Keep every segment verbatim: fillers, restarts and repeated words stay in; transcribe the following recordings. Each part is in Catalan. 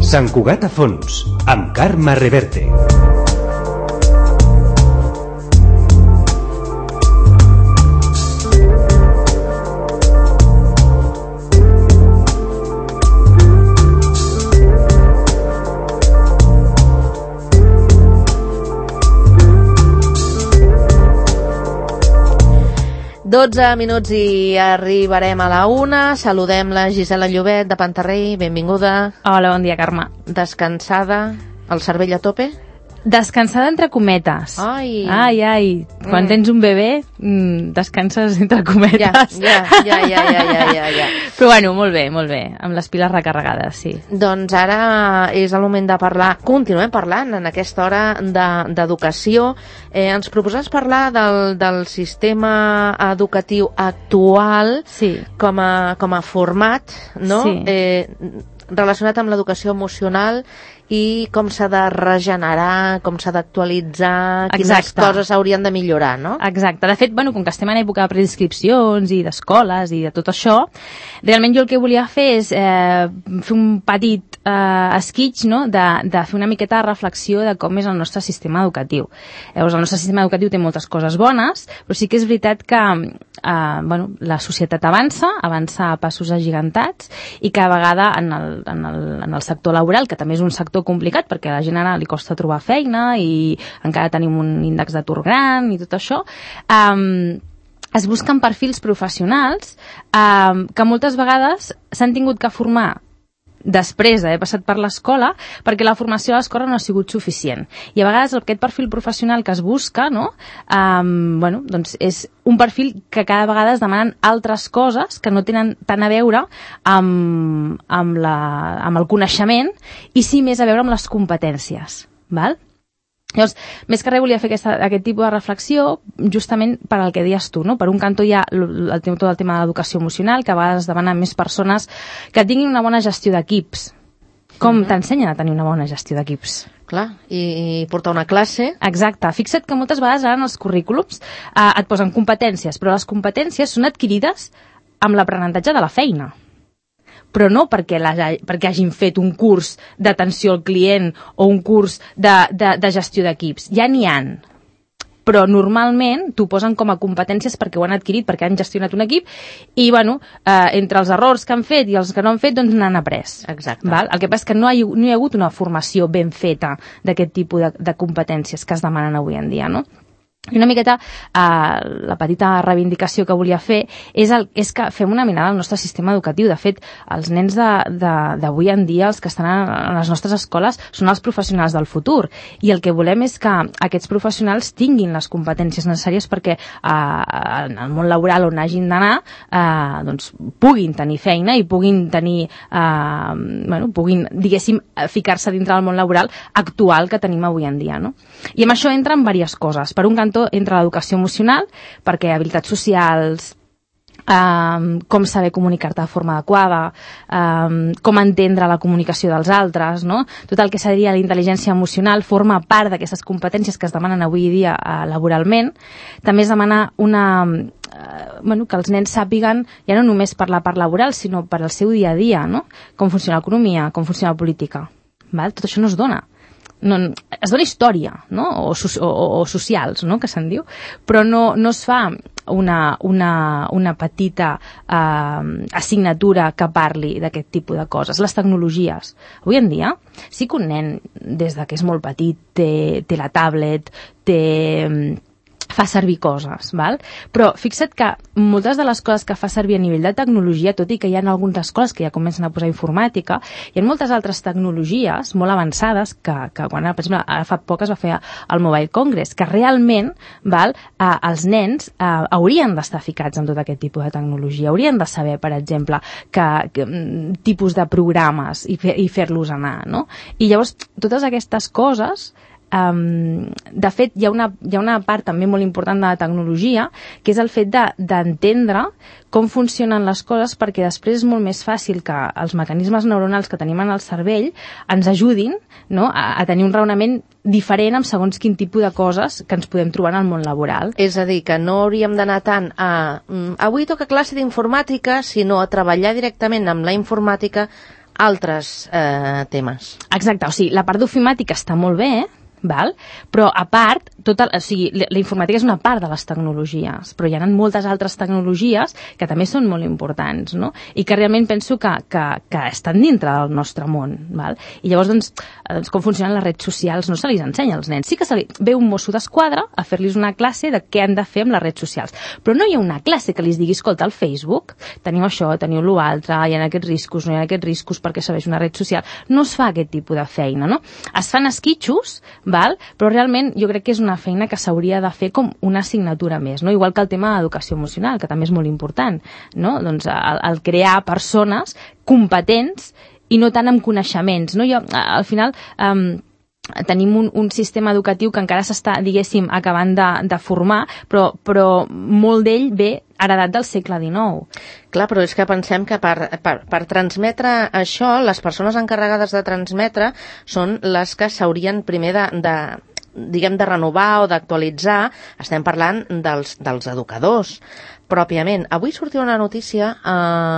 Sant Cugat a fons, amb Carme Reverte. dotze minuts i arribarem a la una. Saludem la Gisela Llobet de Pantarrey, benvinguda. Hola, bon dia, Carme. Descansada, el cervell a tope? Descansada entre cometes. Ai, ai, ai. Quan mm. tens un bebè, mm, descanses entre cometes. Ja, ja, ja, ja, ja, ja, ja, ja. Però bueno, molt bé, molt bé, amb les piles recarregades, sí. Doncs ara és el moment de parlar, continuem parlant en aquesta hora d'educació. De, eh, ens proposes parlar del, del sistema educatiu actual, sí, com a, com a format, no? Sí. Eh, relacionat amb l'educació emocional i com s'ha de regenerar, com s'ha d'actualitzar, quines Exacte. coses haurien de millorar, no? Exacte. De fet, bueno, com que estem en època de preinscripcions i d'escoles i de tot això, realment jo el que volia fer és eh, fer un petit eh, esquitx, no?, de, de fer una miqueta de reflexió de com és el nostre sistema educatiu. Llavors, el nostre sistema educatiu té moltes coses bones, però sí que és veritat que eh, bueno, la societat avança, avança a passos agigantats i cada vegada en el, en el, en el sector laboral, que també és un sector complicat perquè a la gent ara li costa trobar feina i encara tenim un índex d'atur gran i tot això, um, es busquen perfils professionals um, que moltes vegades s'han tingut que formar després d'haver passat per l'escola perquè la formació a l'escola no ha sigut suficient. I a vegades aquest perfil professional que es busca, no? Um, bueno, doncs és un perfil que cada vegada es demanen altres coses que no tenen tant a veure amb, amb, la, amb el coneixement i sí més a veure amb les competències. Val? Llavors, més que res volia fer aquesta, aquest tipus de reflexió justament per al que deies tu, no? Per un cantó hi ha el, el, tot el tema de l'educació emocional, que a vegades demanen més persones que tinguin una bona gestió d'equips. Com mm-hmm. t'ensenyen a tenir una bona gestió d'equips? Clar, i, i portar una classe. Exacte. Fixa't que moltes vegades ara en els currículums eh, et posen competències, però les competències són adquirides amb l'aprenentatge de la feina. Però no perquè, la, perquè hagin fet un curs d'atenció al client o un curs de, de, de gestió d'equips. Ja n'hi han. Però normalment t'ho posen com a competències perquè ho han adquirit, perquè han gestionat un equip i, bueno, eh, entre els errors que han fet i els que no han fet, doncs n'han après. Exacte. Val? El que passa és que no hi, no hi ha hagut una formació ben feta d'aquest tipus de, de competències que es demanen avui en dia, no? I una miqueta eh, la petita reivindicació que volia fer és, el, és que fem una mirada al nostre sistema educatiu. De fet, els nens d'avui en dia, els que estan a les nostres escoles, són els professionals del futur. I el que volem és que aquests professionals tinguin les competències necessàries perquè eh, en el món laboral on hagin d'anar eh, doncs, puguin tenir feina i puguin tenir, eh, bueno, puguin, diguéssim, ficar-se dintre del món laboral actual que tenim avui en dia, no? I amb això entren diverses coses. Per un cantó entre l'educació emocional, perquè habilitats socials, Um, com saber comunicar-te de forma adequada, um, com entendre la comunicació dels altres, no? Tot el que seria la intel·ligència emocional forma part d'aquestes competències que es demanen avui dia uh, laboralment. També es demana una, uh, bueno, que els nens sàpiguen ja no només per la part laboral, sinó per al seu dia a dia, no? Com funciona l'economia, com funciona la política. Val? Tot això no es dona. No, es dona història, no? o, o, o socials, no? Que se'n diu, però no, no es fa una, una, una petita eh, assignatura que parli d'aquest tipus de coses. Les tecnologies. Avui en dia, sí que un nen, des de que és molt petit, té, té la tablet, té... fa servir coses, val? Però fixa't que moltes de les coses que fa servir a nivell de tecnologia, tot i que hi ha algunes escoles que ja comencen a posar informàtica, hi ha moltes altres tecnologies molt avançades que, que quan, per exemple, ara fa poc es va fer el Mobile Congress, que realment, val, eh, els nens eh, haurien d'estar ficats en tot aquest tipus de tecnologia, haurien de saber, per exemple, que, que tipus de programes i, fer, i fer-los anar, no? I llavors, totes aquestes coses... Um, de fet, hi ha, una, hi ha una part també molt important de la tecnologia, que és el fet d'entendre de, com funcionen les coses, perquè després és molt més fàcil que els mecanismes neuronals que tenim en el cervell ens ajudin, no?, a, a tenir un raonament diferent amb segons quin tipus de coses que ens podem trobar en el món laboral. És a dir, que no hauríem d'anar tant a mm, avui toca classe d'informàtica, sinó a treballar directament amb la informàtica altres eh, temes. Exacte, o sigui, la part d'ofimàtica està molt bé, val? Però a part, tota, o sigui, la, la informàtica és una part de les tecnologies, però hi ha moltes altres tecnologies que també són molt importants, no? I que realment penso que, que, que estan dintre del nostre món, val? I llavors, doncs, doncs, com funcionen les redes socials no se li ensenya als nens. Sí que se li ve un mosso d'esquadra a fer-los una classe de què han de fer amb les redes socials, però no hi ha una classe que li digui, escolta, al Facebook teniu això, teniu l'altre, hi ha aquests riscos, no hi ha aquests riscos perquè serveix una red social. No es fa aquest tipus de feina, no? Es fan esquitxos, val? Però realment jo crec que és una feina que s'hauria de fer com una assignatura més, no? Igual que el tema d'educació emocional, que també és molt important, no? Doncs el, el crear persones competents i no tant amb coneixements, no? Jo, al final, um, tenim un, un sistema educatiu que encara s'està, diguéssim, acabant de, de formar, però, però molt d'ell ve heredat del segle dinou. Clar, però és que pensem que per, per, per transmetre això, les persones encarregades de transmetre són les que s'haurien primer de, de, diguem, de renovar o d'actualitzar. Estem parlant dels, dels educadors, pròpiament. Avui sortia una notícia a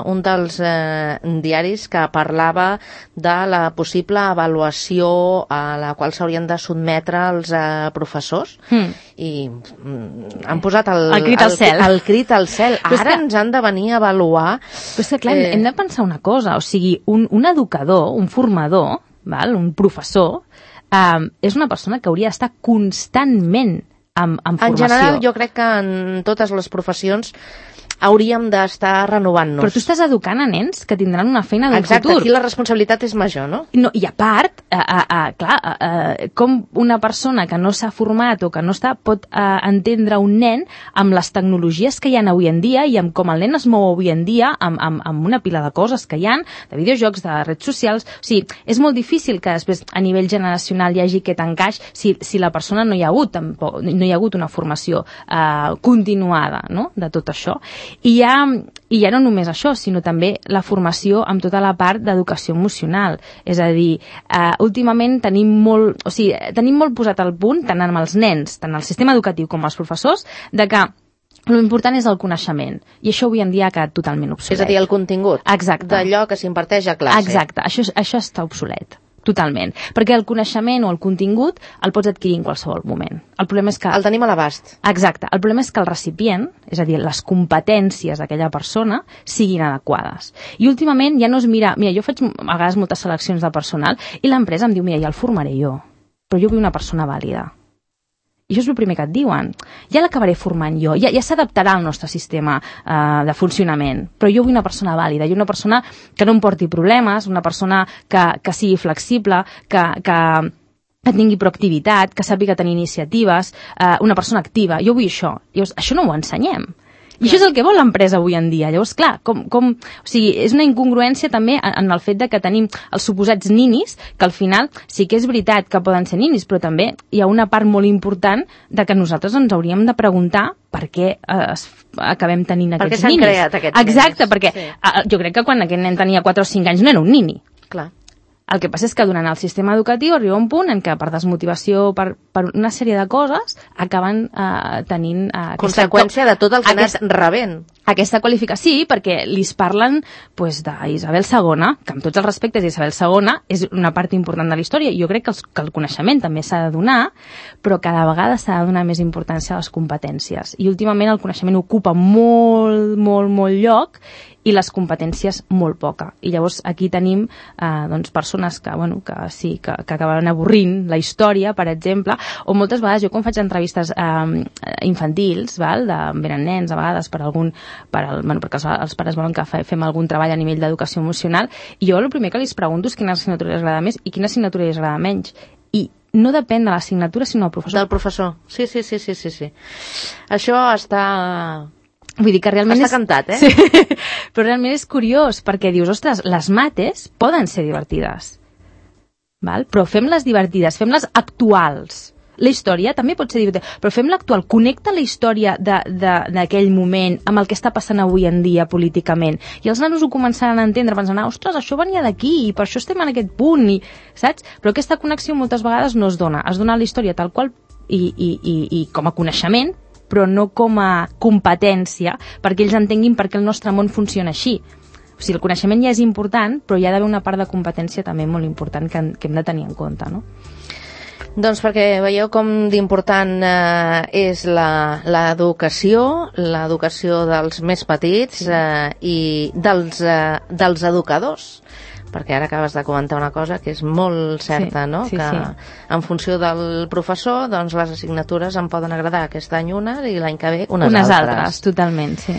eh, un dels eh, diaris que parlava de la possible avaluació a la qual s'haurien de sotmetre els eh, professors mm. i mm, han posat el, el crit al el, cel. El crit al cel. Ara que, ens han de venir a avaluar. Però és que, clar, eh... hem de pensar una cosa, o sigui, un, un educador, un formador, val? Un professor, eh, és una persona que hauria d'estar constantment Amb, amb en general, jo crec que en totes les professions hauríem d'estar renovant-nos. Però tu estàs educant a nens que tindran una feina del Exacte, futur. Exacte, aquí la responsabilitat és major, no? no I a part, a, a, a, clar, a, a, com una persona que no s'ha format o que no està pot a, entendre un nen amb les tecnologies que hi ha avui en dia i amb com el nen es mou avui en dia, amb, amb, amb una pila de coses que hi ha, de videojocs, de redes socials. O sigui, és molt difícil que després a nivell generacional hi hagi aquest encaix si, si la persona no hi ha hagut, tampoc, no hi ha hagut una formació uh, continuada, no?, de tot això. I ja, i ja no només això, sinó també la formació amb tota la part d'educació emocional. És a dir, eh, últimament tenim molt, o sigui, tenim molt posat al punt, tant amb els nens, tant al sistema educatiu com als professors, de que l'important és el coneixement. I això avui en dia ha quedat totalment obsolet. És a dir, el contingut. Exacte. D'allò que s'imparteix a classe. Exacte. Això, això està obsolet. Totalment. Perquè el coneixement o el contingut el pots adquirir en qualsevol moment. El problema és que... El tenim a l'abast. Exacte. El problema és que el recipient, és a dir, les competències d'aquella persona, siguin adequades. I últimament ja no es mira... Mira, jo faig a vegades moltes seleccions de personal i l'empresa em diu, mira, ja el formaré jo, però jo vull una persona vàlida. I això és el primer que et diuen. Ja l'acabaré formant jo, ja, ja s'adaptarà al nostre sistema eh, de funcionament, però jo vull una persona vàlida, jo una persona que no em porti problemes, una persona que, que sigui flexible, que, que, que tingui proactivitat, que sàpiga tenir iniciatives, eh, una persona activa. Jo vull això. Llavors, això no ho ensenyem. I això és el que vol l'empresa avui en dia. Llavors, clar, com, com, o sigui, és una incongruència també en el fet de que tenim els suposats ninis, que al final sí que és veritat que poden ser ninis, però també hi ha una part molt important de que nosaltres ens hauríem de preguntar per què eh, acabem tenint aquests ninis. Per què s'han creat aquests ninis? Exacte, perquè sí. eh, jo crec que quan aquest nen tenia quatre o cinc anys no era un nini. Clar. El que passa és que durant el sistema educatiu arriba un punt en què per desmotivació, per, per una sèrie de coses, acaben eh, tenint... Eh, conseqüència aquesta, de tot el que aquesta, ha anat rebent. Aquesta qualificació, sí, perquè li parlen pues, d'Isabel segona, que amb tots els respectes Isabel segona és una part important de la història, i jo crec que, els, que el coneixement també s'ha de donar, però cada vegada s'ha de donar més importància a les competències. I últimament el coneixement ocupa molt, molt, molt lloc, i les competències molt poca. I llavors aquí tenim eh, doncs, persones que, bueno, que sí, que, que acaben avorrint la història, per exemple, o moltes vegades jo quan faig entrevistes eh, infantils, val, de, venen nens a vegades per algun, per el, bueno, perquè els, els pares volen que fem algun treball a nivell d'educació emocional, i jo el primer que els pregunto és quina assignatura els agrada més i quina assignatura els agrada menys. I no depèn de l'assignatura, sinó del professor. Del professor, sí, sí, sí, sí, sí, sí. Això està... Vull dir que realment està és... cantat, eh? Sí. Però realment és curiós, perquè dius, ostres, les mates poden ser divertides, val? Però fem-les divertides, fem-les actuals. La història també pot ser divertida, però fem-la actual. Connecta la història d'aquell moment amb el que està passant avui en dia políticament. I els nanos ho començaran a entendre, pensant, ostres, això venia d'aquí i per això estem en aquest punt, i, saps? Però aquesta connexió moltes vegades no es dona. Es dona la història tal qual i, i, i, i com a coneixement, però no com a competència, perquè ells entenguin per què el nostre món funciona així. O sigui, el coneixement ja és important, però hi ha d'haver una part de competència també molt important que, que hem de tenir en compte, no? Doncs perquè veieu com d'important eh, és l'educació, l'educació dels més petits eh, i dels, eh, dels educadors, perquè ara acabes de comentar una cosa que és molt certa, sí, no? Sí, que sí. En funció del professor, doncs les assignatures em poden agradar aquest any una i l'any que ve unes, unes altres. altres, totalment, sí.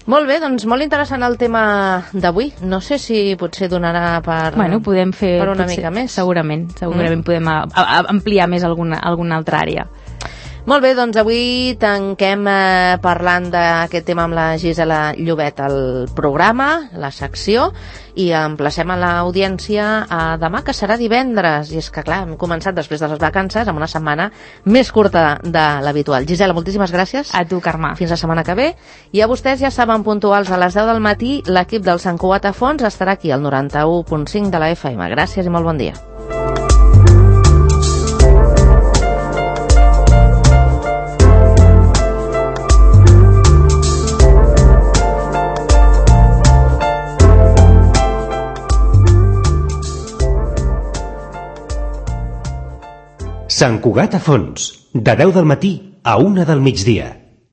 Molt bé, doncs molt interessant el tema d'avui. No sé si potser donarà per, bueno, podem fer, per una potser, mica més. Segurament, segurament mm. podem a, a, ampliar més alguna, alguna altra àrea. Molt bé, doncs avui tanquem eh, parlant d'aquest tema amb la Gisela Llobet al programa, la secció, i emplacem a l'audiència a demà, que serà divendres. I és que, clar, hem començat després de les vacances amb una setmana més curta de l'habitual. Gisela, moltíssimes gràcies. A tu, Carme. Fins la setmana que ve. I a vostès ja saben, puntuals a les deu del matí, l'equip del Sant Cugat a Fons estarà aquí al noranta-u punt cinc de la F M. Gràcies i molt bon dia. Sant Cugat a Fons, de deu del matí a una del migdia.